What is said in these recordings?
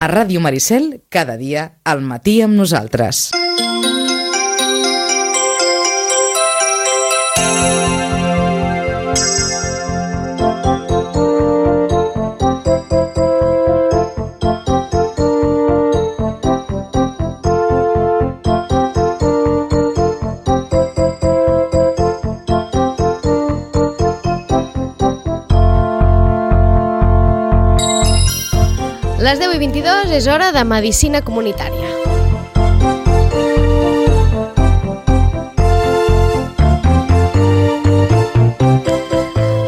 A Ràdio Maricel, cada dia, al matí amb nosaltres. Les 10:22 és hora de Medicina Comunitària.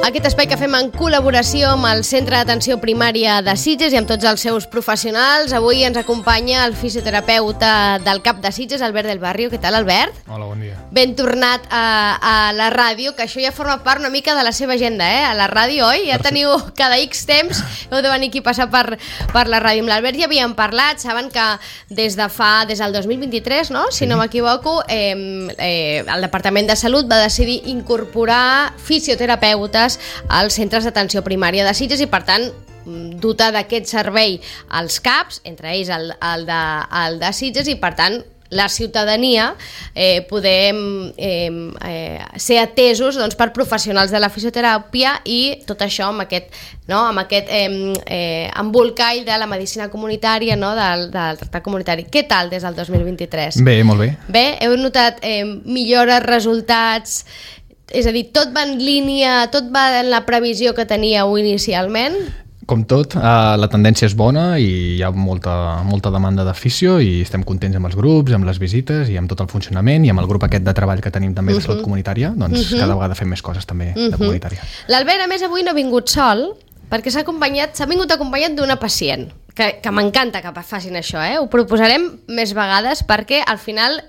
Aquest espai que fem en col·laboració amb el Centre d'Atenció Primària de Sitges i amb tots els seus professionals. Avui ens acompanya el fisioterapeuta del CAP de Sitges, Albert del Barrio. Què tal, Albert? Hola, bon dia. Ben tornat a la ràdio, que això ja forma part una mica de la seva agenda, a la ràdio, oi? Ja teniu cada X temps, heu de venir aquí a passar per la ràdio. Amb l'Albert ja havíem parlat, saben que des del 2023, no? Si no m'equivoco, el Departament de Salut va decidir incorporar fisioterapeutes als centres d'atenció primària de Sitges i, per tant, dotar d'aquest servei als CAPs, entre ells el de Sitges, i, per tant, la ciutadania podem ser atesos per professionals de la fisioteràpia i tot això amb aquest embolcall de la medicina comunitària, del tractat comunitari. Què tal des del 2023? Bé, molt bé. Bé, heu notat millores, resultats? És a dir, tot va en línia, tot va en la previsió que teníeu inicialment? Com tot, la tendència és bona i hi ha molta demanda de fisio i estem contents amb els grups, amb les visites i amb tot el funcionament i amb el grup aquest de treball que tenim també de salut comunitària, doncs cada vegada fem més coses també de comunitària. L'Albert, a més, avui no ha vingut sol perquè s'ha vingut acompanyat d'una pacient, que m'encanta que facin això, ho proposarem més vegades perquè al final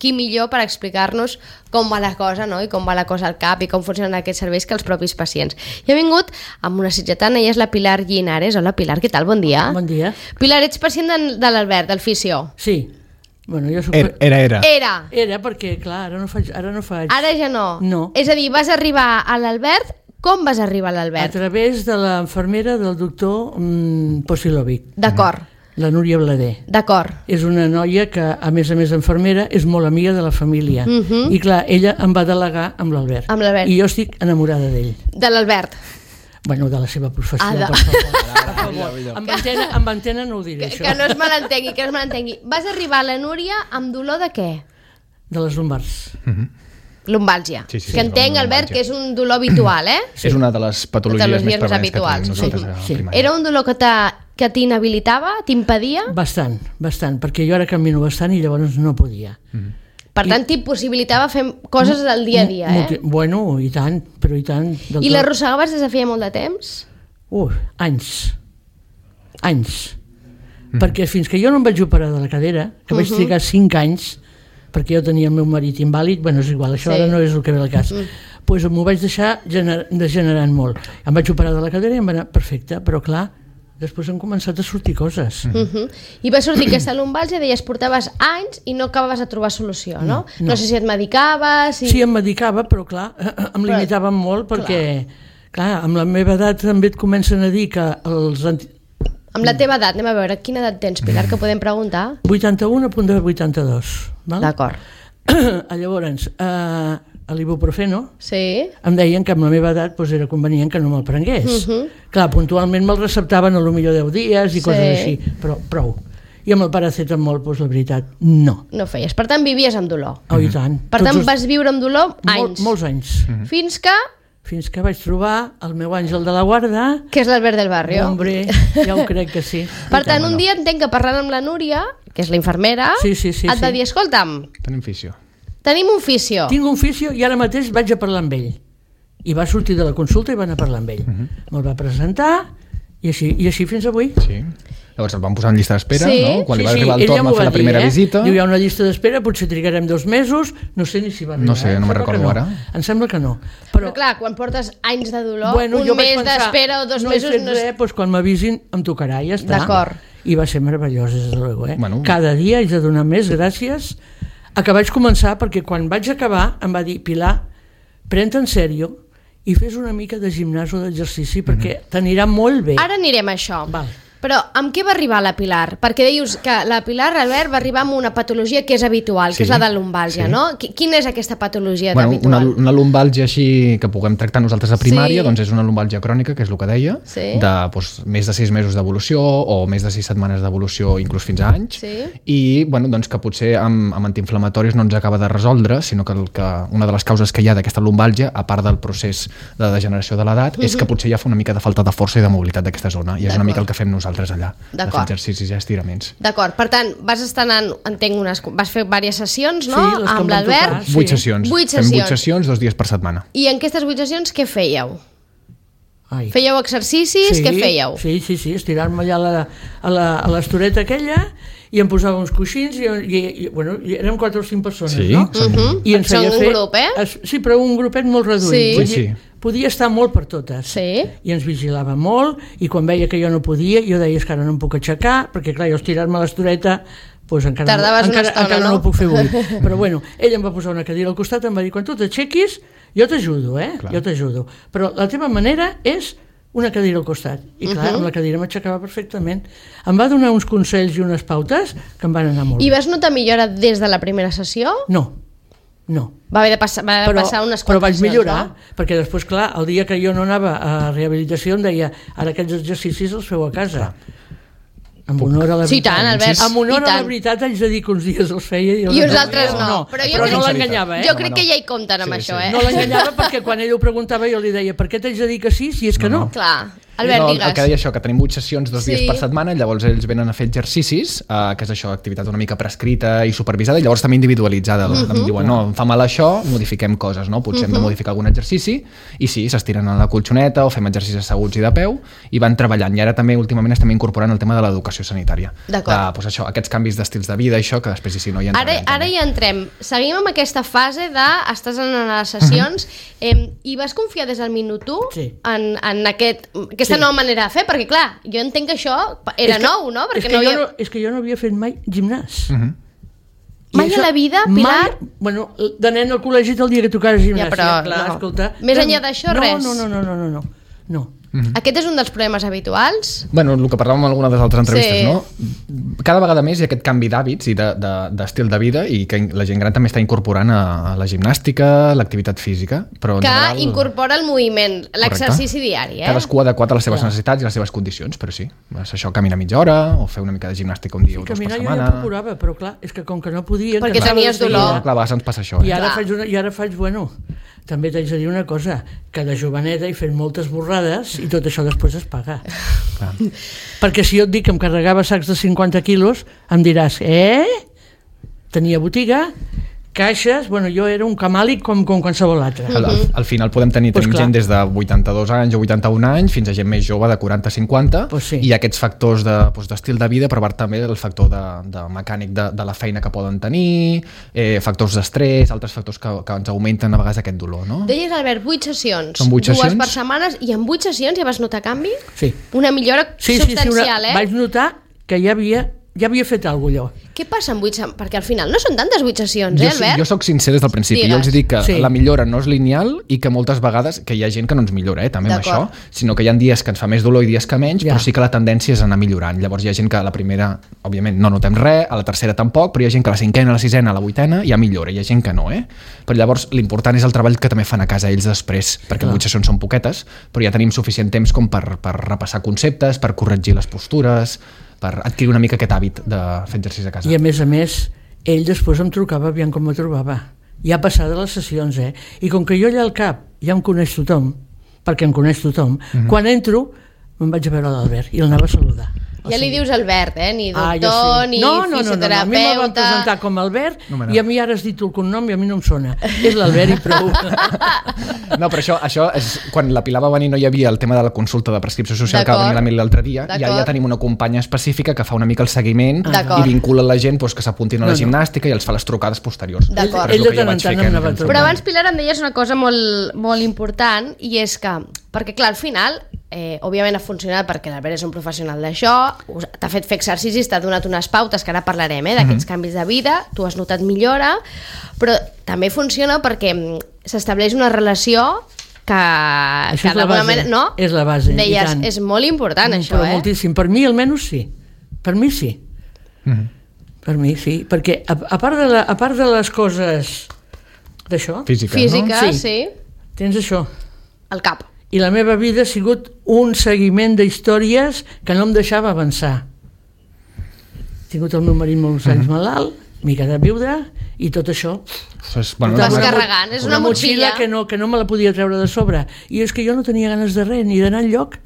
qui millor per explicar-nos com va la cosa, no? I com va la cosa al CAP i com funcionen aquests serveis que els propis pacients. I ha vingut amb una sitgetana, ella és la Pilar Llinares. Hola Pilar, què tal? Bon dia. Bon dia. Pilar, ets pacient de l'Albert, del fisio? Sí. Bueno, jo soc... Era perquè, clar, ara no faig... Ara ja no? No. És a dir, vas arribar a l'Albert. Com vas arribar a l'Albert? A través de l'infermera del doctor Posilovic. D'acord. La Núria Blader. D'acord. És una noia que, a més infermera, és molt amiga de la família. I clar, ella em va delegar amb l'Albert. Amb l'Albert. I jo estic enamorada d'ell. De l'Albert? Bueno, de la seva professió, per favor. Amb antena no ho diré, això. Que no es malentengui, Vas arribar a la Núria amb dolor de què? De les lumbars. Lumbàlgia. Sí, que entenc, Albert, que és un dolor habitual, Sí. És una de les patologies més prevalents que tenim nosaltres a primària. Era un dolor que t'inhabilitava, t'impedia? Bastant, perquè jo ara camino bastant i llavors no podia. Per tant, t'impossibilitava fer coses del dia a dia, Bueno, i tant, però i tant. I l'arrossegaves des de feia molt de temps? Anys. Perquè fins que jo no em vaig operar de la cadera, que vaig trigar 5 anys, perquè jo tenia el meu marit invàlid, bueno, és igual, això ara no és el que ve al cas, doncs m'ho vaig deixar degenerant molt. Em vaig operar de la cadera i em va anar perfecte, però clar, després han començat a sortir coses. I va sortir aquesta lumbàlgia, deies, portaves anys i no acabaves de trobar solució, no? No sé si et medicaves... Sí, em medicava, però clar, em limitaven molt perquè, clar, amb la meva edat també et comencen a dir que els... Amb la teva edat, anem a veure, quina edat tens, Pilar, que podem preguntar? 81 a punt de 82. D'acord. Llavors, a l'ibuprofeno em deien que amb la meva edat era convenient que no me'l prengués. Clar, puntualment me'l receptaven a lo millor 10 dies i coses així, però prou. I amb el paracetamol, la veritat, no. No feies. Per tant, vivies amb dolor. Oh, i tant. Per tant, vas viure amb dolor anys. Molts anys. Fins que vaig trobar el meu àngel de la guarda... Que és l'Albert del Barrio. Hombre, ja ho crec que sí. Per tant, un dia entenc que parlant amb la Núria, que és la infermera, et va dir, escolta'm... Tenim fisio. Tenim un fisio. Tinc un fisio i ara mateix vaig a parlar amb ell. I va sortir de la consulta i va anar a parlar amb ell. Me'l va presentar i així fins avui. Sí. Llavors el vam posar en llista d'espera, no? Quan li va arribar el torn a fer la primera visita. Diu, hi ha una llista d'espera, potser trigarem 2 mesos, no sé ni si va arribar. No sé, no me'n recordo ara. Em sembla que no. Però clar, quan portes anys de dolor, un mes d'espera o 2 mesos... No he fet res, quan m'avisin em tocarà i ja està. D'acord. I va ser meravellós, des de luego. Cada dia haig de donar més gràcies a que vaig començar, perquè quan vaig acabar em va dir, Pilar, pren-te en sèrio i fes una mica de gimnàs o d'exercici perquè t'anirà molt bé. Ara anirem a això. Val. Però amb què va arribar la Pilar? Perquè dius que la Pilar, Albert, va arribar amb una patologia que és habitual, que és la de lumbàlgia, no? Quina és aquesta patologia habitual? Una lumbàlgia així que puguem tractar nosaltres a primària, doncs és una lumbàlgia crònica, que és el que deia, de més de 6 mesos d'evolució o més de 6 setmanes d'evolució, inclús fins a anys, i doncs que potser amb antiinflamatoris no ens acaba de resoldre, sinó que una de les causes que hi ha d'aquesta lumbàlgia, a part del procés de degeneració de l'edat, és que potser ja fa una mica de falta de força i de mobilitat d'aquesta zona, i és una mica el que fem nosaltres allà, de fer exercicis i estiraments. D'acord, per tant, vas estar anant, entenc, vas fer diverses sessions, no? Amb l'Albert. 8 sessions. Fem 8 sessions 2 dies per setmana. I en aquestes 8 sessions què fèieu? Fèieu exercicis? Què fèieu? Sí, estirar-me allà a l'estoreta aquella i em posava uns coixins i érem 4 o 5 persones, no? I ens feia fer... un grup, Sí, però un grupet molt reduït. Sí. Podia estar molt per totes. I ens vigilava molt, i quan veia que jo no podia, jo deia que ara no em puc aixecar, perquè clar, jo estirar-me a l'estoreta encara no ho puc fer avui. Però bueno, ell em va posar una cadira al costat, em va dir, quan tu t'aixequis, jo t'ajudo, jo t'ajudo. Però la teva manera és una cadira al costat. I clar, amb la cadira m'aixecava perfectament. Em va donar uns consells i unes pautes que em van anar molt bé. I vas notar millora des de la primera sessió? No. Va haver de passar unes quantes però vaig millorar, perquè després, clar, el dia que jo no anava a rehabilitació em deia, ara aquests exercicis els feu a casa. Amb honor a la veritat. Sí, tant, Albert. Amb honor a la veritat haig de dir que uns dies els feia i uns altres no. Però no l'enganyava, Jo crec que ja hi compten amb això, No l'enganyava perquè quan ell ho preguntava jo li deia, per què t'haig de dir que sí si és que no? Clar. Albert, digues. El que deia això, que tenim 8 sessions 2 dies per setmana, llavors ells venen a fer exercicis, que és això, activitat una mica prescrita i supervisada, i llavors també individualitzada. Em diuen, no, em fa mal això, modifiquem coses, no? Potser hem de modificar algun exercici, i sí, s'estiren a la colxoneta o fem exercicis asseguts i de peu, i van treballant. I ara també últimament estem incorporant el tema de l'educació sanitària. D'acord. Doncs això, aquests canvis d'estils de vida, això, que després sí, no hi entrem. Ara hi entrem. Seguim amb aquesta fase de estàs en les sessions i vas confiar des del minut 1 en aquesta nova manera de fer, perquè clar, jo entenc que això era nou, no? És que jo no havia fet mai gimnàs. Mai a la vida, Pilar? Bueno, de nen al col·legi el dia que tocaves gimnàs. Ja, però escolta... Més enllà d'això, res? No. Aquest és un dels problemes habituals? Bueno, el que parlàvem en alguna de les altres entrevistes, no? Cada vegada més hi ha aquest canvi d'hàbits i d'estil de vida, i que la gent gran també està incorporant a la gimnàstica, l'activitat física, però en general... incorpora el moviment, l'exercici diari, Cadascú adequat a les seves necessitats i les seves condicions, però sí, és això, caminar mitja hora o fer una mica de gimnàstica un dia o 2 per setmana. Caminar jo ja procurava, però clar, és que com que no podia... Perquè tenies dolor. Clar, a vegades ens passa això. I ara faig, bueno, també t'haig de dir una cosa, que de joveneta he fet moltes borrades i tot això després es paga. Clar. Perquè si jo et dic que em carregava sacs de 50 quilos, em diràs, tenia botiga, caixes, bueno, jo era un camàlic com qualsevol altre. Al final tenim gent des de 82 anys o 81 anys fins a gent més jove de 40-50, i aquests factors d'estil de vida, però també el factor de mecànic de la feina que poden tenir, factors d'estrès, altres factors que ens augmenten a vegades aquest dolor, no? Deies, Albert, 8 sessions, són 8 dues per setmanes, i en 8 sessions ja vas notar canvi? Sí. Una millora substancial, Vaig notar que ja havia fet alguna cosa. Què passa amb 8 sessions? Perquè al final no són tantes 8 sessions, Albert? Jo soc sincer des del principi. Jo els dic que la millora no és lineal i que moltes vegades, que hi ha gent que no ens millora, també amb això, sinó que hi ha dies que ens fa més dolor i dies que menys, però sí que la tendència és anar millorant. Llavors hi ha gent que a la primera, òbviament, no notem res, a la tercera tampoc, però hi ha gent que a la 5ª, a la 6ª, a la 8ª ja millora, hi ha gent que no, Però llavors l'important és el treball que també fan a casa ells després, perquè 8 sessions són poquetes, però ja tenim suficient temps com per repassar conceptes, per corregir les postures, per adquirir una mica aquest hàbit de fer exercici a casa. I a més, ell després em trucava aviam com me trobava. Ja passada les sessions, I com que jo allà al cap ja em coneix tothom, perquè em coneix tothom, quan entro me'n vaig a veure l'Albert i l'anava a saludar. Ja li dius Albert, ni doctor, ni fisioterapeuta... No, a mi me van presentar com Albert i a mi ara has dit el cognom i a mi no em sona. És l'Albert i prou. No, però això és... Quan la Pilar va venir no hi havia el tema de la consulta de prescripció social que va venir l'Emili l'altre dia, i ara ja tenim una companya específica que fa una mica el seguiment i vincula la gent que s'apuntin a la gimnàstica i els fa les trucades posteriors. D'acord. Ell de tant en tant em anava a trobar. Però abans, Pilar, em deies una cosa molt important, i és que, perquè clar, al final, òbviament ha funcionat perquè l'Albert és un professional d'això, t'ha fet fer exercicis, t'ha donat unes pautes, que ara parlarem, d'aquests canvis de vida, tu has notat millora, però també funciona perquè s'estableix una relació Això és la d'alguna base, manera, no? és la base, i Deies, tant. és molt important això, Però moltíssim, per mi almenys sí. Per mi sí. Per mi sí, perquè a part de les coses d'això, Física, no? sí. Tens això. El cap. I la meva vida ha sigut un seguiment d'històries que no em deixava avançar. He tingut el meu marit molts anys malalt, m'he quedat viuda, i tot això... Vas carregant, és una motxilla que no me la podia treure de sobre. I és que jo no tenia ganes de res, ni d'anar enlloc.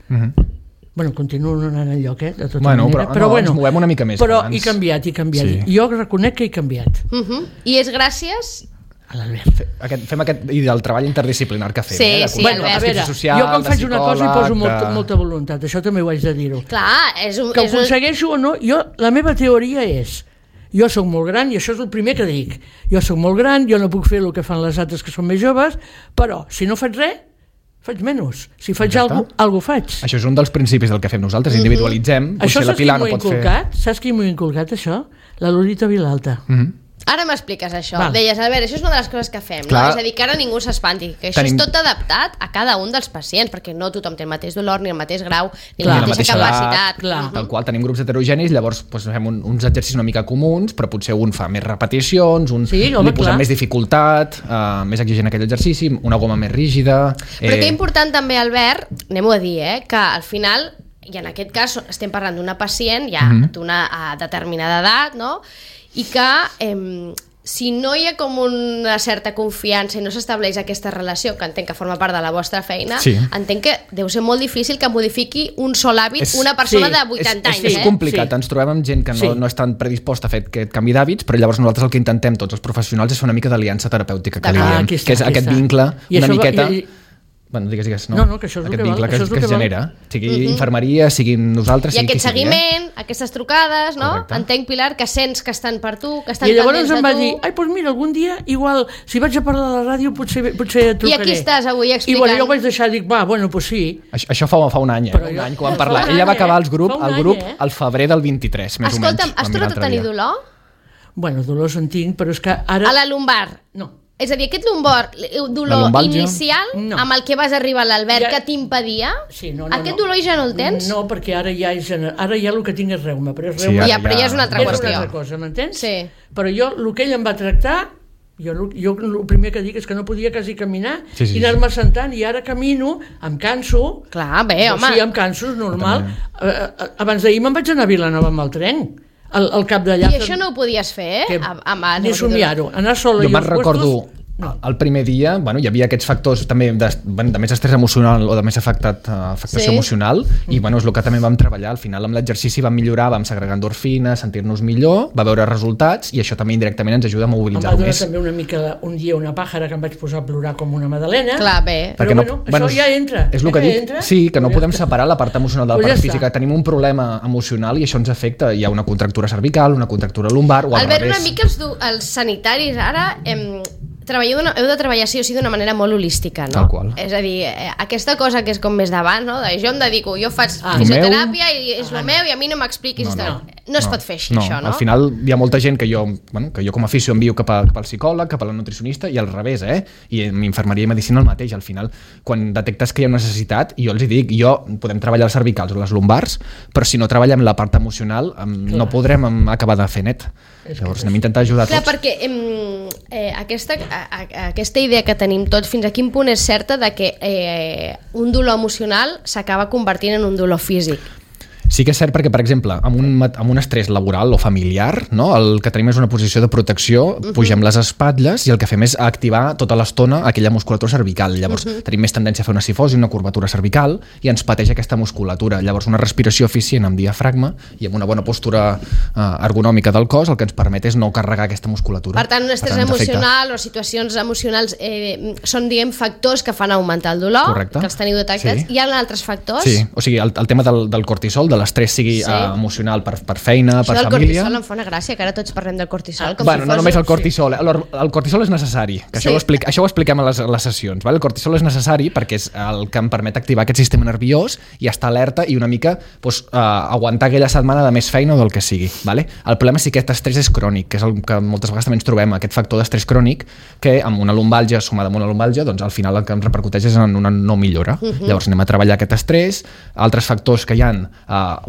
Bueno, continuo no anant enlloc, de tota manera. Però ens movem una mica més. Però he canviat. Sí. Jo reconec que he canviat. I és gràcies... A l'Albert. Fem i del treball interdisciplinar que fem. Sí, sí, bueno, a veure, social, jo quan faig una cosa hi poso de... molta voluntat, això també ho haig de dir-ho. Clar, que ho aconsegueixo o no, la meva teoria és: jo sóc molt gran, i això és el primer que dic, jo sóc molt gran, jo no puc fer el que fan les altres que són més joves, però si no faig res, faig menys. Si faig alguna cosa faig. Això és un dels principis del que fem nosaltres, individualitzem. Això saps qui m'ho ha inculcat? Saps qui m'ho ha inculcat, això? La Lolita Vilalta. Ara m'expliques això. Val. Deies, a veure, això és una de les coses que fem, no? És a dir, que ara ningú s'espanti, que això és tot adaptat a cada un dels pacients, perquè no tothom té el mateix dolor, ni el mateix grau, ni la mateixa capacitat. Tal qual, tenim grups heterogenis, llavors fem uns exercicis una mica comuns, però potser un fa més repeticions, li posem més dificultat, més exigent aquell exercici, una goma més rígida... Però que important també, Albert, anem-ho a dir, que al final, i en aquest cas estem parlant d'una pacient ja d'una determinada edat, no?, i que si no hi ha com una certa confiança i no s'estableix aquesta relació, que entenc que forma part de la vostra feina, entenc que deu ser molt difícil que modifiqui un sol hàbit una persona de 80 anys. És complicat, ens trobem amb gent que no és tan predisposta a fer aquest canvi d'hàbits, però llavors nosaltres el que intentem tots els professionals és fer una mica d'aliança terapèutica, que li diem, que és aquest vincle una miqueta... Bueno, digues, no? No, que això és aquest vincle que es genera, sigui infermeria, siguin nosaltres... I aquest seguiment, aquestes trucades, no? Entenc, Pilar, que sents que estan per tu, que estan pendents de tu. I llavors em va dir, doncs mira, algun dia, igual, si vaig a parlar a la ràdio, potser et trucaré. I aquí estàs avui explicant. I bueno, jo ho vaig deixar, dic, doncs sí. Això fa un any, un any que vam parlar. Ella va acabar el grup al febrer del 23, més o menys. Escolta'm, has tornat a tenir dolor? Bueno, dolors en tinc, però és que ara... A la lumbar? No. És a dir, aquest dolor inicial amb el que vas arribar a l'Albert que t'impedia, aquest dolor ja no el tens? No, perquè ara ja el que tinc és reuma, però és reuma. Però ja és una altra qüestió. És una altra cosa, m'entens? Sí. Però jo, el que ell em va tractar, jo el primer que dic és que no podia quasi caminar i anar-me sentant, i ara camino, em canso. Clar, bé, home. Sí, em canso, és normal. Abans d'ahir me'n vaig anar a Vilanova amb el tren. Al cap d'allà. I això no ho podies fer? Ni somiar-ho, anar sola. Jo me'n recordo el primer dia, hi havia aquests factors també de més estrès emocional o de més afectació emocional, i és el que també vam treballar. Al final amb l'exercici vam millorar, vam segregar endorfines, sentir-nos millor, va veure resultats, i això també indirectament ens ajuda a mobilitzar-ho més. Em va donar també una mica un dia una pàjara que em vaig posar a plorar com una madalena. Clar, bé. Però això ja entra. És el que dic, sí, que no podem separar la part emocional de la part física. Tenim un problema emocional i això ens afecta. Hi ha una contractura cervical, una contractura lumbar o al revés. Albert, una mica els sanitaris ara... heu de treballar sí o sí d'una manera molt holística, no? Tal qual. És a dir, aquesta cosa que és com més d'abans, no? Jo em dedico, jo faig fisioteràpia i és el meu i a mi no m'expliquis no es pot fer així, això, no? Al final hi ha molta gent que jo com a fisio envio cap al psicòleg, cap a la nutricionista, i al revés, i en infermeria i medicina el mateix. Al final, quan detectes que hi ha una necessitat, i jo els dic, podem treballar els cervicals o les lumbars, però si no treballem la part emocional no podrem acabar de fer net. Llavors anem a intentar ajudar tots. Clar, perquè aquesta idea que tenim tots, fins a quin punt és certa de que un dolor emocional s'acaba convertint en un dolor físic? Sí que és cert perquè, per exemple, amb un estrès laboral o familiar, no? El que tenim és una posició de protecció, pugem les espatlles i el que fem és activar tota l'estona aquella musculatura cervical. Llavors tenim més tendència a fer una cifosi, una curvatura cervical, i ens pateix aquesta musculatura. Llavors una respiració eficient amb diafragma i amb una bona postura ergonòmica del cos el que ens permet és no carregar aquesta musculatura. Per tant, un estrès emocional o situacions emocionals són, diguem, factors que fan augmentar el dolor, que els teniu detectats. Hi ha altres factors? Sí, o sigui, el tema del cortisol, de l'estrès sigui emocional per feina, per família. Això del cortisol em fa una gràcia, que ara tots parlem del cortisol. Bueno, no només el cortisol. El cortisol és necessari, que això ho expliquem a les sessions. El cortisol és necessari perquè és el que em permet activar aquest sistema nerviós i estar alerta i una mica aguantar aquella setmana de més feina o del que sigui. El problema és que aquest estrès és crònic, que és el que moltes vegades també ens trobem, aquest factor d'estrès crònic, que amb una lumbàlgia sumada amb una lumbàlgia, doncs al final el que ens repercuteix és en una no millora. Llavors anem a treballar aquest estrès, altres factors que hi ha,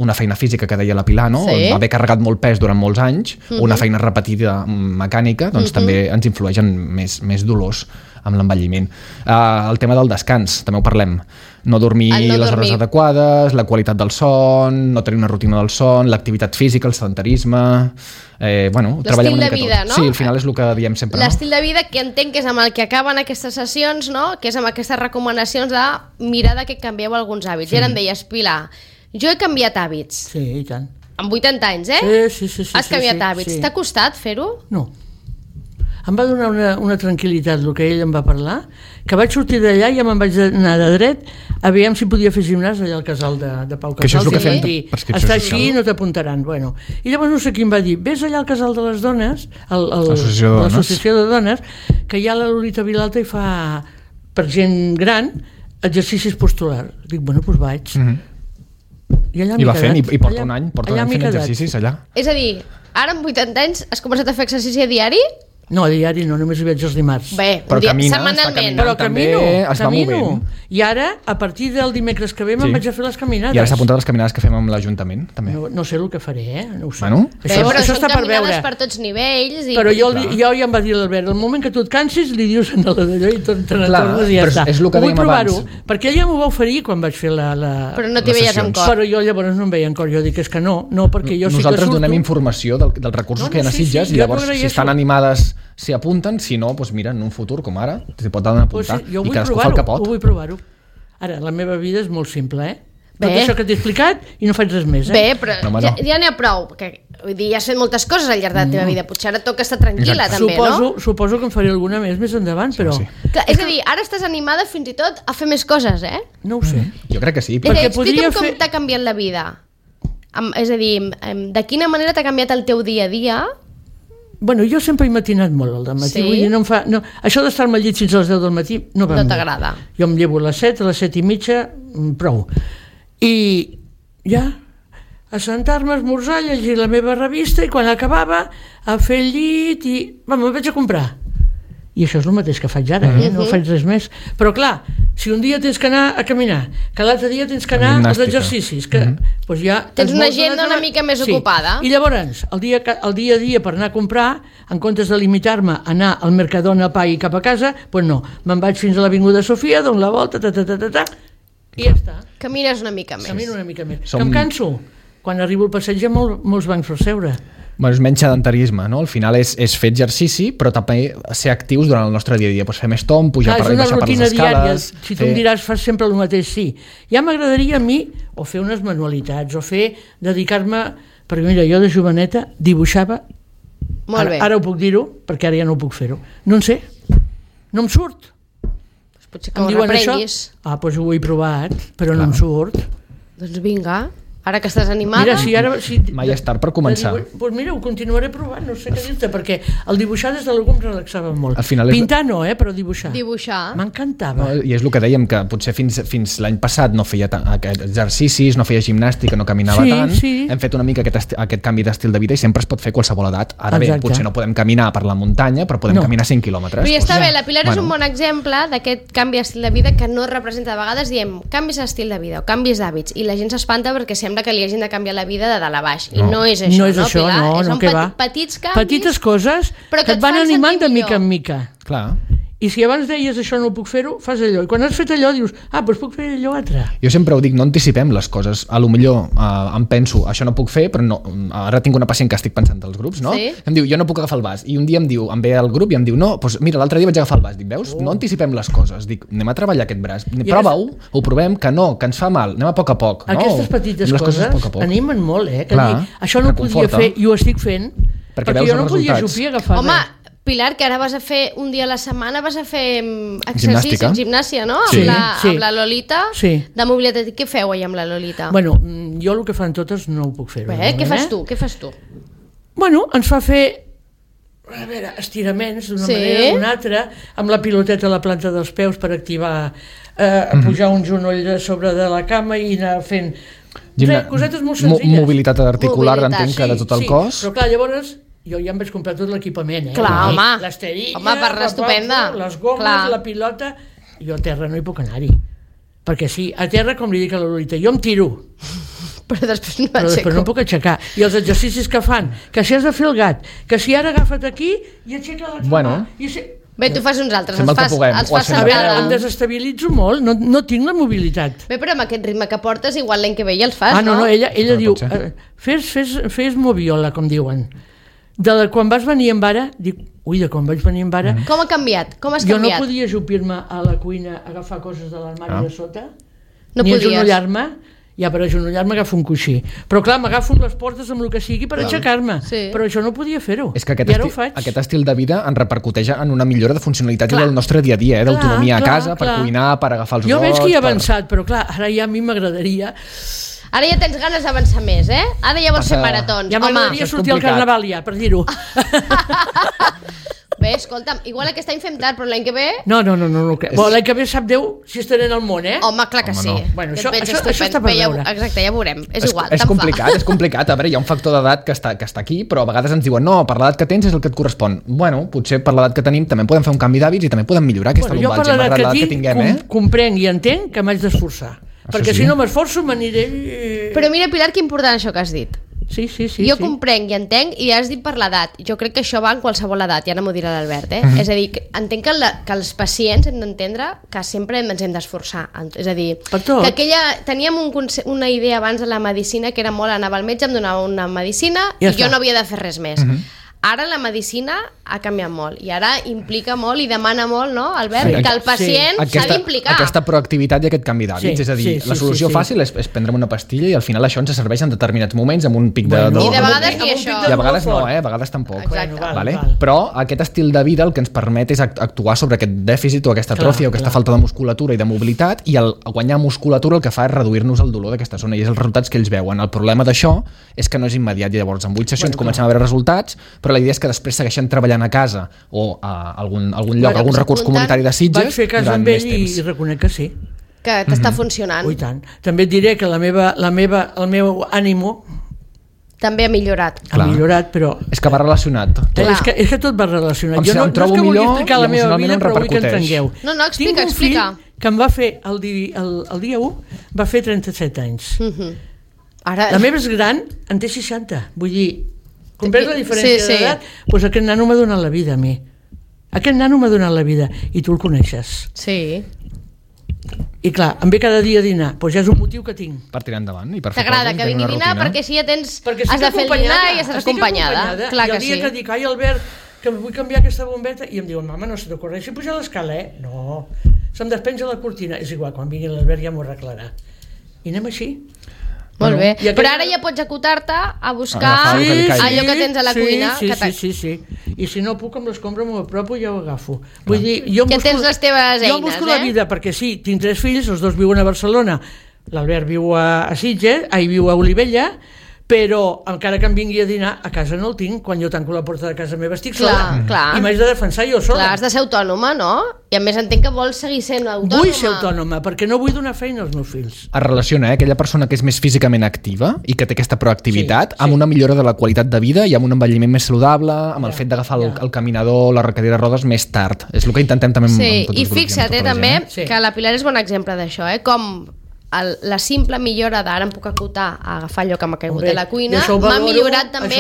una feina física que deia la Pilar, no? Haver carregat molt pes durant molts anys, una feina repetida mecànica, doncs també ens influeix en més dolors amb l'envelliment. El tema del descans, també ho parlem. No dormir les hores adequades, la qualitat del son, no tenir una rutina del son, l'activitat física, el sedentarisme... l'estil de vida, no? Sí, al final és el que diem sempre. L'estil de vida que entenc que és amb el que acaben aquestes sessions, no? Que és amb aquestes recomanacions de mirar que canvieu alguns hàbits. I ara em deies, Pilar, jo he canviat hàbits. Sí, i tant. Amb 80 anys, Sí. Has canviat hàbits. T'ha costat fer-ho? No. Em va donar una tranquil·litat el que ell em va parlar, que vaig sortir d'allà i ja me'n vaig anar de dret a veure si podia fer gimnàs allà al casal de Pau Casals. Que això és el que fem de prescripció social. Està així, no t'apuntaran. Bueno. I llavors no sé qui em va dir, vés allà al casal de les dones, l'associació de dones, que hi ha la Lolita Vilalta i fa, per gent gran, exercicis posturals. Dic, bueno, doncs vaig. I allà va fent, i porta un any fent exercicis allà. És a dir, ara amb 80 anys has començat a fer exercici a diari? No, a diari no, només hi veig els dimarts. Bé, però setmanalment. Però camino. I ara, a partir del dimecres que ve, me'n vaig a fer les caminades. I ara s'ha apuntat les caminades que fem amb l'Ajuntament, també. No sé el que faré, no ho sé. Bueno, això està per veure. Per tots nivells. Però jo ja em va dir l'Albert, el moment que tu et cansis, li dius a l'allò i te n'atornes i ja està. És el que dèiem abans. Perquè ella m'ho va oferir quan vaig fer la... Però no t'hi veies en cor. Però jo llavors no em veia en cor. Jo dic, és que no, perquè jo sí que surto... Nosaltres donem informació dels recursos que hi ha a Sitges i llavors, si estan animades, s'hi apunten. Si no, doncs mira, en un futur com ara s'hi pot anar a apuntar i cadascú fa el que pot. Jo vull provar-ho. Ara, la meva vida és molt simple, Tot això que t'he explicat i no faig res més, Bé, però ja n'hi ha prou. Vull dir, ja has fet moltes coses al llarg de la teva vida. Potser ara toca estar tranquil·la, també, no? Suposo que en faré alguna més endavant, però... Clar, és a dir, ara estàs animada fins i tot a fer més coses, No ho sé. Jo crec que sí. Explica'm com t'ha canviat la vida. És a dir, de quina manera t'ha canviat el teu dia a dia... Bueno, jo sempre he matinat molt al matí, vull dir, això d'estar-me al llit fins a les 10 del matí no t'agrada. Jo em llevo a les 7, a les 7 i mitja, prou. I ja, a sentar-me a esmorzar, a llegir la meva revista i quan acabava a fer el llit i... me'n vaig a comprar. I això és el mateix que faig ara, no faig res més. Però clar, si un dia tens que anar a caminar, que l'altre dia tens que anar als exercicis, que doncs ja... Tens una agenda una mica més ocupada. I llavors, el dia a dia per anar a comprar, en comptes de limitar-me a anar al Mercadona a pa i cap a casa, doncs no, me'n vaig fins a l'Avinguda Sofia, dono la volta, i ja està. Camines una mica més. Camino una mica més. Que em canso. Quan arribo al passeig hi ha molts bancs per seure. Bueno, és menys sedentarisme, no? Al final és fer exercici, però també ser actius durant el nostre dia a dia. Pues fer més tomb, pujar per les escales. És una rutina diària. Si tu em diràs, fas sempre el mateix, sí. Ja m'agradaria a mi o fer unes manualitats, o dedicar-me... Perquè mira, jo de joveneta dibuixava... Molt bé. Ara ho puc dir-ho, perquè ara ja no ho puc fer-ho. No en sé. No em surt. Potser que ho reprenguis. Doncs ho he provat, però no em surt. Doncs vinga... Ara que estàs animada... Mira, mai és tard per començar. Doncs mira, ho continuaré provant, no sé què dir-te, perquè el dibuixar des de l'algú em relaxava molt. Pintar no, però dibuixar. M'encantava. I és el que dèiem, que potser fins l'any passat no feia exercicis, no feia gimnàstica, no caminava tant. Hem fet una mica aquest canvi d'estil de vida i sempre es pot fer a qualsevol edat. Ara bé, potser no podem caminar per la muntanya, però podem caminar 5 quilòmetres. Però ja està bé, la Pilar és un bon exemple d'aquest canvi d'estil de vida que no representa. A vegades diem canvis d'estil de vida o canvis d'hàbits i la gent s'espanta perquè sembla que li hagin de canviar la vida de dalt a baix. I no és això, Pilar? Són petits canvis. Petites coses que et van animant de mica en mica. Clar. I si abans deies això no ho puc fer-ho, fas allò. I quan has fet allò dius, doncs puc fer allò altre. Jo sempre ho dic, no anticipem les coses. A lo millor em penso, això no puc fer, però no. Ara tinc una pacient que estic pensant als grups, no? Em diu, jo no puc agafar el vas. I un dia em ve al grup i em diu, no, doncs mira, l'altre dia vaig agafar el vas. Dic, veus? No anticipem les coses. Dic, anem a treballar aquest braç. Prova-ho, ho provem, que no, que ens fa mal. Anem a poc a poc. Aquestes petites coses animen molt, Que dir, això no ho podia fer i ho estic fent, perquè jo no podia jupir agafar. Home, Pilar, que ara vas a fer un dia a la setmana, vas a fer exercici, gimnàsia, no? Sí, amb la Lolita, de mobilitat. Què feu ahir amb la Lolita? Bueno, jo el que fan totes no ho puc fer. Què fas tu? Bueno, ens fa fer estiraments d'una manera o d'una altra, amb la piloteta a la planta dels peus per activar, pujar un genoll de sobre de la cama i anar fent cosetes molt senzilles. Mobilitat articular, entenc que de tot el cos. Però clar, llavors jo ja em vaig comprar tot l'equipament, Clar, home. L'esterilla, per l'estupenda. Les gomes, la pilota. Jo a terra no hi puc anar-hi. Perquè sí, a terra, com li dic a la Lolita, jo em tiro. Però després no no puc aixecar. I els exercicis que fan, que si has de fer el gat, que si ara agafa't aquí i aixeca l'altra mà. Bé, tu fas uns altres, els fas a veure, em desestabilitzo molt, no tinc la mobilitat. Bé, però amb aquest ritme que portes, igual l'any que ve ja els fas, no? Ella diu, fes moviola, com diuen. Quan vas venir amb ara, dic, de quan vaig venir amb ara... Com ha canviat? Com has canviat? Jo no canviat? podia ajupir-me a la cuina a agafar coses de l'armari de sota, no ni podies. agenollar-me. Ja per agenollar-me agafo un coixí. Però clar, m'agafo amb les portes amb el que sigui per aixecar-me. Sí. Però això no podia fer-ho. És que aquest estil de vida ens repercuteix en una millora de funcionalitat del nostre dia a dia, d'autonomia a casa, per cuinar, per agafar els gots... Jo veig que hi he avançat, però clar, ara ja a mi m'agradaria... Ara ja tens ganes d'avançar més, eh? Ara ja vols fer maratons. Ja m'agradaria sortir al carnaval ja, per dir-ho. Bé, escolta'm, igual aquest any fem tard, però l'any que ve... No. L'any que ve sap Déu si estaré en el món, eh? Home, clar que sí. Bueno, això està per veure. Exacte, ja veurem. És igual, és complicat. A veure, hi ha un factor d'edat que està aquí, però a vegades ens diuen no, per l'edat que tens és el que et correspon. Bueno, potser per l'edat que tenim també podem fer un canvi d'hàbits i també podem millorar aquesta lumbalgia. Jo per l'edat que tinc, comprenc i entenc que m'haig d'esforçar. Perquè si no m'esforço m'aniré... Però mira, Pilar, que important això que has dit. Sí. Jo comprenc i entenc, i has dit per l'edat. Jo crec que això va en qualsevol edat, ja no m'ho dirà l'Albert, És a dir, entenc que els pacients hem d'entendre que sempre ens hem d'esforçar. És a dir, que teníem una idea abans de la medicina que era molt, anava al metge, em donava una medicina i jo no havia de fer res més. Ara la medicina ha canviat molt i ara implica molt i demana molt, no, Albert? Que el pacient s'ha d'implicar. Aquesta proactivitat i aquest canvi d'hàbits, és a dir, la solució fàcil és prendre'm una pastilla i al final això ens serveix en determinats moments amb un pic de... I de vegades ni això. I a vegades no, a vegades tampoc. Però aquest estil de vida el que ens permet és actuar sobre aquest dèficit o aquesta atròfia o aquesta falta de musculatura i de mobilitat, i el guanyar musculatura el que fa és reduir-nos el dolor d'aquesta zona i és els resultats que ells veuen. El problema d'això és que no és immediat i llavors en 8 sessions comencem a veure resultats, però la idea és que després segueixen treballant a casa o a algun lloc, algun recurs comunitari de Sitges. Vaig fer cas amb ell i reconec que sí. Que t'està funcionant. I tant. També et diré que el meu ànimo també ha millorat. Ha millorat, però... És que va relacionat. És que tot va relacionat. Jo no és que vulgui explicar la meva vida, però vull que entengueu. No, explica. Tinc un fill que em va fer el dia 1, va fer 37 anys. La meva és gran, en té 60. Vull dir... Comprens la diferència d'edat? Doncs aquest nano m'ha donat la vida a mi. Aquest nano m'ha donat la vida i tu el coneixes. Sí. I clar, em ve cada dia a dinar, doncs ja és un motiu que tinc. Per tirar endavant i per fer coses. T'agrada que vingui a dinar perquè si ja tens... Has de fer el dinar i estàs acompanyada. Clar que sí. I el dia que dic, ai Albert, que vull canviar aquesta bombeta, i em diuen, mama, no se t'ocorreixi pujar l'escala, eh? No, se'm despenja la cortina. És igual, quan vingui l'Albert ja m'ho arreglarà. I anem així. Molt bé, però ara ja pots acotar-te a buscar allò que tens a la cuina. Sí. I si no puc amb l'escombra m'ho apropo i ja ho agafo. Vull dir, jo tens les teves eines, jo busco la vida, perquè sí, tinc 3 fills, els 2 viuen a Barcelona, l'Albert viu a Sitges, viu a Olivella, però encara que em vingui a dinar a casa no el tinc, quan jo tanco la porta de casa meva estic sola i m'haig de defensar jo sola. Clar, has de ser autònoma, no? I a més entenc que vols seguir sent autònoma. Vull ser autònoma, perquè no vull donar feina als meus fills. Es relaciona aquella persona que és més físicament activa i que té aquesta proactivitat amb una millora de la qualitat de vida i amb un envelliment més saludable, amb el fet d'agafar el caminador, la cadira de rodes més tard. És el que intentem també amb tots els grups. I fixa't també que la Pilar és bon exemple d'això, com la simple millora d'ara em puc acotar a agafar allò que m'ha caigut a la cuina m'ha millorat també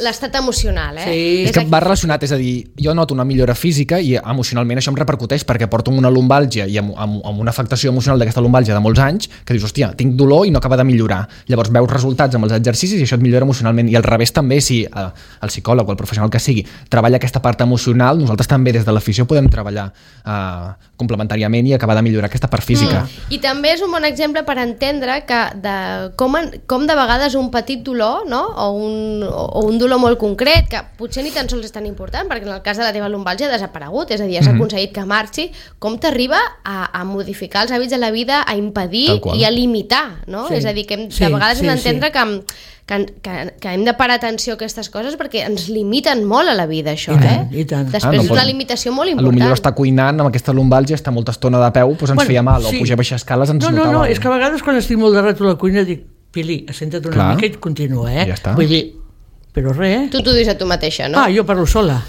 l'estat emocional. És que va relacionat, és a dir, jo noto una millora física i emocionalment això em repercuteix perquè porto una lumbàlgia i amb una afectació emocional d'aquesta lumbàlgia de molts anys que dius, hòstia, tinc dolor i no acaba de millorar. Llavors veus resultats amb els exercicis i això et millora emocionalment, i al revés també, si el psicòleg o el professional que sigui treballa aquesta part emocional, nosaltres també des de l'afició podem treballar complementàriament i acabar de millorar aquesta part física. I també és un bon exemple per entendre que com de vegades un petit dolor, no? o un dolor molt concret, que potser ni tan sols és tan important, perquè en el cas de la teva lumbàlgia ha desaparegut, és a dir, has aconseguit que marxi, com t'arriba a modificar els hàbits de la vida, a impedir i a limitar, no? És a dir, que de vegades hem d'entendre que hem de parar atenció a aquestes coses perquè ens limiten molt a la vida, això, I tant. Després és una limitació molt important. Potser està cuinant amb aquesta lumbàlgia, està molta estona de peu, doncs ens feia mal, o pujar a baixar escales ens notava. No, és que a vegades quan estic molt de rato a la cuina dic, Pili, assenta't una mica i continua, Ja està. Vull dir, però res. Tu t'ho dius a tu mateixa, no? Jo parlo sola.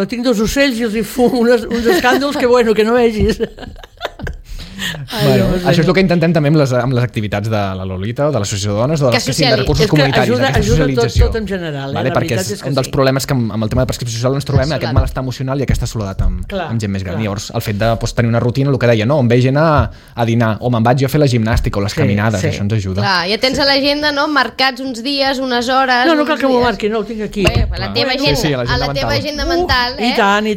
Tinc 2 ocells i els hi fumo uns escàndols que no vegis. Això és el que intentem també amb les activitats de la Lolita o de l'Associació de Dones o de les que siguin de recursos comunitaris, d'aquesta socialització. Tot en general, perquè és un dels problemes que amb el tema de prescripció social ens trobem, aquest malestar emocional i aquesta soledat amb gent més gran. Llavors, el fet de tenir una rutina, el que deia, no, em ve gent a dinar, o me'n vaig jo a fer la gimnàstica o les caminades, això ens ajuda. Clar, ja tens a l'agenda, no?, marcats uns dies, unes hores... No cal que m'ho marqui, no, ho tinc aquí. A la teva agenda mental, I tant.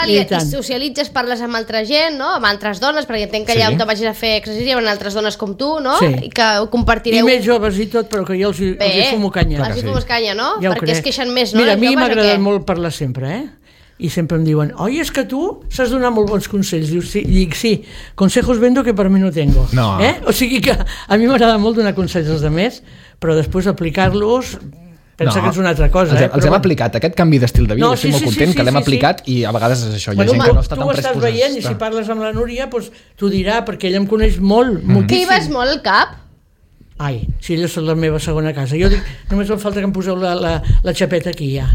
I socialitzes, parles amb altra gent, no?, amb altres dones, perquè entenc que allà on te vagis a fer exercici hi ha altres dones com tu, no?, i que ho compartireu. I més joves i tot, però que jo els hi fumo canya. Els hi fumes canya, no? Perquè es queixen més, no? Mira, a mi m'ha agradat molt parlar sempre, i sempre em diuen, oi, és que tu saps donar molt bons consells. Dic, sí, consejos vendo que per mi no tengo. O sigui que a mi m'agrada molt donar consells als altres, però després aplicar-los... Pensa que és una altra cosa. Els hem aplicat, aquest canvi d'estil de vida, estic molt content que l'hem aplicat i a vegades és això, hi ha gent que no està tan predisposada. Tu ho estàs veient i si parles amb la Núria t'ho dirà, perquè ella em coneix molt, moltíssim. Que hi vas molt al CAP? Ai, si ella és la meva segona casa. Jo dic, només em falta que em poseu la xapeta aquí ja.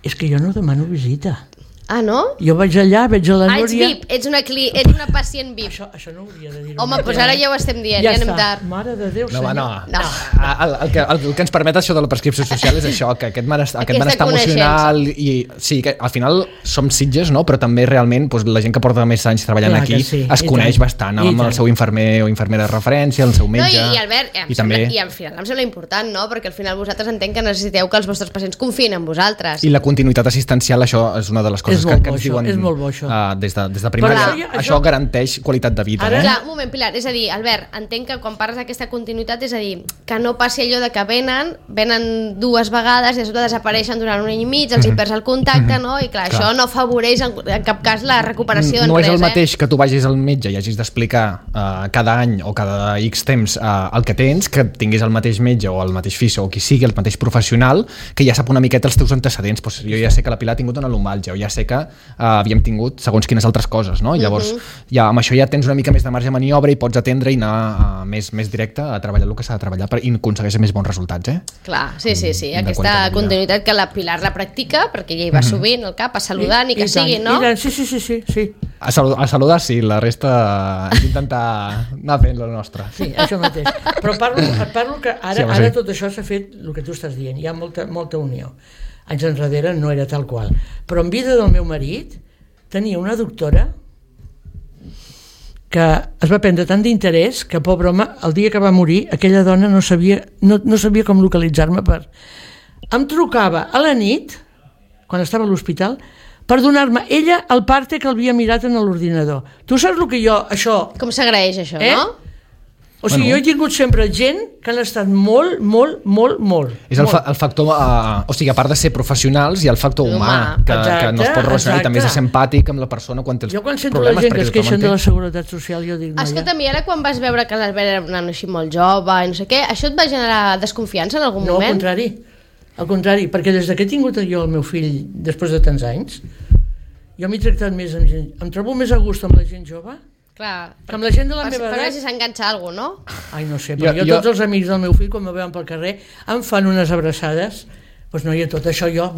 És que jo no demano visita. Ah, no? Jo vaig allà, veig a la Núria... ets VIP, ets una pacient VIP. Això no hauria de dir-ho. Home, doncs ara ja ho estem dient, ja anem tard. Mare de Déu, senyor. No. El que ens permet això de la prescripció social és això, que aquest benestar emocional i sí, que al final som Sitges, no? Però també realment la gent que porta més anys treballant aquí es coneix bastant amb el seu infermer o infermera de referència, el seu metge... I Albert, i al final em sembla important, no? Perquè al final vosaltres entenc que necessiteu que els vostres pacients confiïn en vosaltres. I la continuïtat assistencial, això és una de les coses que ens diuen des de primària. Això garanteix qualitat de vida. Clar, un moment, Pilar, és a dir, Albert, entenc que quan parles d'aquesta continuïtat és a dir, que no passi allò de que venen 2 vegades i de sobte desapareixen durant un any i mig, els hi perds el contacte, no? I clar, això no afavoreix en cap cas la recuperació no és el mateix que tu vagis al metge i hagis d'explicar cada any o cada X temps el que tens, que tinguis el mateix metge o el mateix fisio o qui sigui, el mateix professional, que ja sap una miqueta els teus antecedents. Jo ja sé que la Pilar ha tingut una lumbàlgia, o ja sé que havíem tingut segons quines altres coses, no? Llavors, amb això ja tens una mica més de marge de maniobra i pots atendre i anar més directe a treballar el que s'ha de treballar i aconsegueixes més bons resultats, Clar, sí. Aquesta continuïtat que la Pilar la practica, perquè ella hi va sovint al CAP a saludar, ni que sigui, no? Sí. A saludar, sí, la resta és intentar anar fent la nostra. Sí, això mateix. Però parlo que ara tot això s'ha fet el que tu estàs dient, hi ha molta unió. Anys enrere no era tal qual. Però en vida del meu marit tenia una doctora que es va prendre tant d'interès que, pobre home, el dia que va morir aquella dona no sabia com localitzar-me em trucava a la nit quan estava a l'hospital per donar-me ella el parte que l'havia mirat en l'ordinador. Tu saps el que això... Com s'agraeix això, no? O sigui, jo he tingut sempre gent que han estat molt. És el factor, o sigui, a part de ser professionals, hi ha el factor humà, que no es pot relacionar, i també és empàtic amb la persona quan té els problemes. Jo quan sento la gent que es queixen de la seguretat social, jo dic... Escolta'm, i ara quan vas veure que l'Albert era un nano així molt jove i no sé què, això et va generar desconfiança en algun moment? No, al contrari, perquè des que he tingut jo el meu fill després de tants anys, jo m'he tractat més amb gent, em trobo més a gust amb la gent jove. Clar, que amb la gent de la meva edat... Per si s'enganxa alguna cosa, no? Ai, no sé, però jo tots els amics del meu fill, quan me veuen pel carrer, em fan unes abraçades, doncs no, i tot això jo...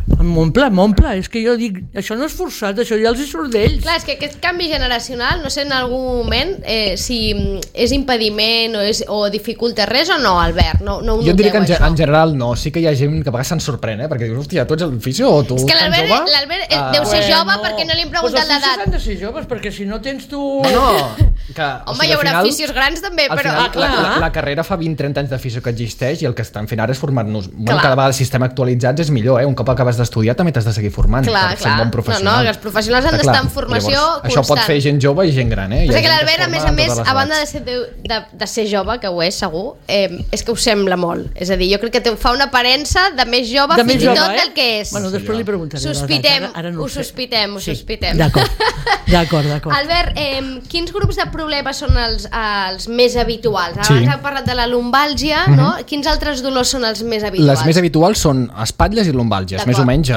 M'omple, és que jo dic, això no és forçat, això ja els hi surt d'ells. Clar, és que aquest canvi generacional, no sé en algun moment si és impediment o dificulta res o no, Albert, no ho noteu, jo diria que en general no, sí que hi ha gent que a vegades se'n sorprèn, perquè dius, hòstia, tu ets el fisio o tu és que l'Albert deu ser jove perquè no li hem preguntat l'edat. Els fisios han de ser joves, perquè si no tens tu... Home, hi haurà fisios grans també, però... La carrera fa 20-30 anys de fisio que existeix i el que estan fent ara és formar-nos... Cada vegada el sistema actualitzat és millor, un cop acabes estudiar també t'has de seguir formant per ser un bon professional. Els professionals han d'estar en formació constant. Això pot fer gent jove i gent gran, Però que l'Albert, a més, a banda de ser jove, que ho és segur, és que ho sembla molt. És a dir, jo crec que fa una aparença de més jove fins i tot del que és. Bueno, després li preguntaré. Ho sospitem. D'acord. Albert, quins grups de problemes són els més habituals? Abans hem parlat de la lumbàlgia, no? Quins altres dolors són els més habituals? Les més habituals són espatlles i lumbàlgies, més o menys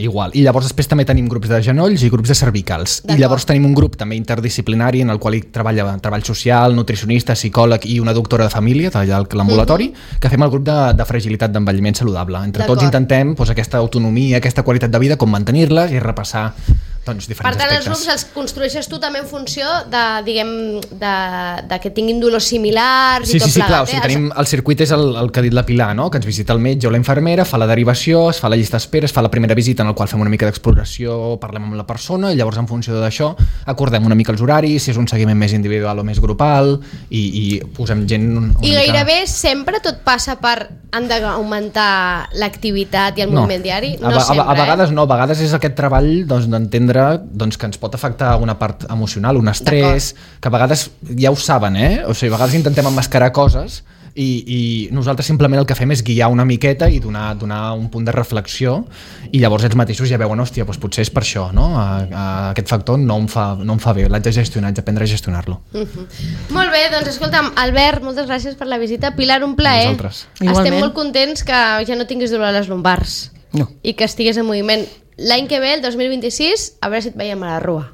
igual. I llavors després també tenim grups de genolls i grups de cervicals. I llavors tenim un grup també interdisciplinari en el qual hi treballa treball social, nutricionista, psicòleg i una doctora de família, allà a l'ambulatori, que fem el grup de fragilitat d'envelliment saludable. Entre tots intentem aquesta autonomia, aquesta qualitat de vida, com mantenir-les i repassar diferents aspectes. Per tant, els grups els construeixes tu també en funció de que tinguin dolors similars i tot plegat. Sí, clar, o sigui, tenim el circuit és el que ha dit la Pilar, no? Que ens visita el metge o la infermera, fa la derivació, es fa la llista d'espera, es fa la primera visita en la qual fem una mica d'exploració, parlem amb la persona i llavors en funció d'això acordem una mica els horaris, si és un seguiment més individual o més grupal i posem gent... I gairebé sempre tot passa per han d'augmentar l'activitat i el moviment diari? No sempre, a vegades no, a vegades és aquest treball d'entendre que ens pot afectar una part emocional, un estrès, que a vegades ja ho saben, o sigui, a vegades intentem emmascarar coses i nosaltres simplement el que fem és guiar una miqueta i donar un punt de reflexió i llavors ells mateixos ja veuen, hòstia, doncs potser és per això, no? Aquest factor no em fa bé, l'haig de gestionar, haig d'aprendre a gestionar-lo. Molt bé, doncs escolta'm, Albert, moltes gràcies per la visita. Pilar, un plaer. Estem molt contents que ja no tinguis dolor a les lumbars i que estigués en moviment. L'any que ve, el 2026, a veure si et veiem a la Rua.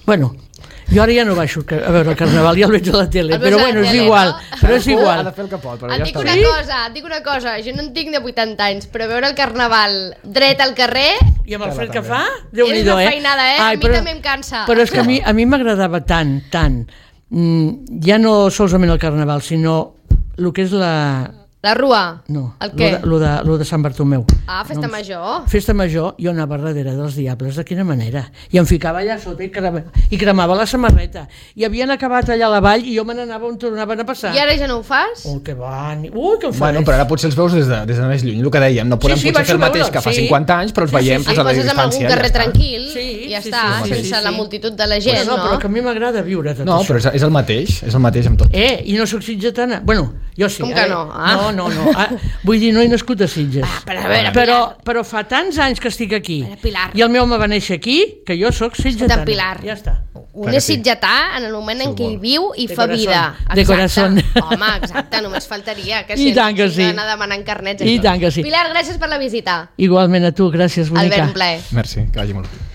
Bueno, jo ara ja no baixo a veure el Carnaval, ja el veig a la tele, però bueno, és igual. Però és igual. Et dic una cosa, jo no en tinc de 80 anys, però veure el Carnaval dret al carrer... I amb el fred que fa, Déu-n'hi-do, és una feinada, a mi també em cansa. Però és que a mi m'agradava tant, ja no solament el Carnaval, sinó el que és la Rua? No, el què? Lo de Sant Bartomeu. Festa major. Festa major, jo anava darrere dels diables, de quina manera. I em ficava allà sota i cremava la samarreta. I havien acabat allà a la vall i jo me n'anava on tornaven a passar. I ara ja no ho fas? Que van... que em fa... Bueno, però ara potser els veus des de més lluny, el que dèiem. No podem potser fer el mateix que fa 50 anys, però els veiem a la distància. Amb algun carrer tranquil i ja està, sense la multitud de la gent, no? Però que a mi m'agrada viure tot això. No, però és el mateix amb tot. I no soc sitgetana. Bueno, jo sí. Com que no? No. Vull dir, no he nascut a Sitges. Però fa tants anys que estic aquí i el meu home va néixer aquí que jo sóc sitgetana. Ja està. Un és sitgetà en el moment en què hi viu i fa vida. De corazón. Home, exacte, només faltaria que si anar demanant carnets. I tant que sí. Pilar, gràcies per la visita. Igualment a tu, gràcies, bonica. Albert, un plaer. Merci, que vagi molt bé.